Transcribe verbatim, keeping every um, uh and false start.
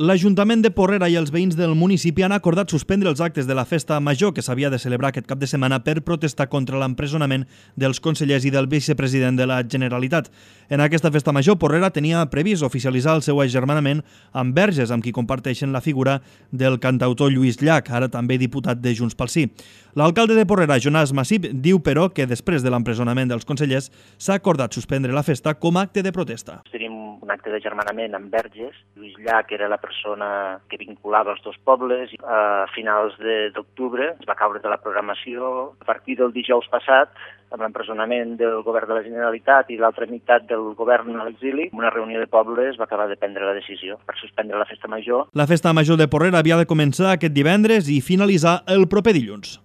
L'Ajuntament de Porrera i els veïns del municipi han acordat suspendre els actes de la festa major que s'havia de celebrar aquest cap de setmana per protestar contra l'empresonament dels consellers i del vicepresident de la Generalitat. En aquesta festa major, Porrera tenia previst oficialitzar el seu agermanament amb Verges, amb qui comparteixen la figura del cantautor Lluís Llach, ara també diputat de Junts pel Sí. L'alcalde de Porrera, Jonàs Massip, diu però que després de l'empresonament dels consellers s'ha acordat suspendre la festa com a acte de protesta. Tenim un acte d'agermanament amb Verges. Lluís Llach era la persona que vinculava els dos pobles. A finals d'octubre es va caure de la programació. A partir del dijous passat, amb l'empresonament del govern de la Generalitat i l'altra meitat del govern a l'exili, una reunió de pobles va acabar de prendre la decisió per suspendre la festa major. La festa major de Porrera havia de començar aquest divendres i finalitzar el proper dilluns.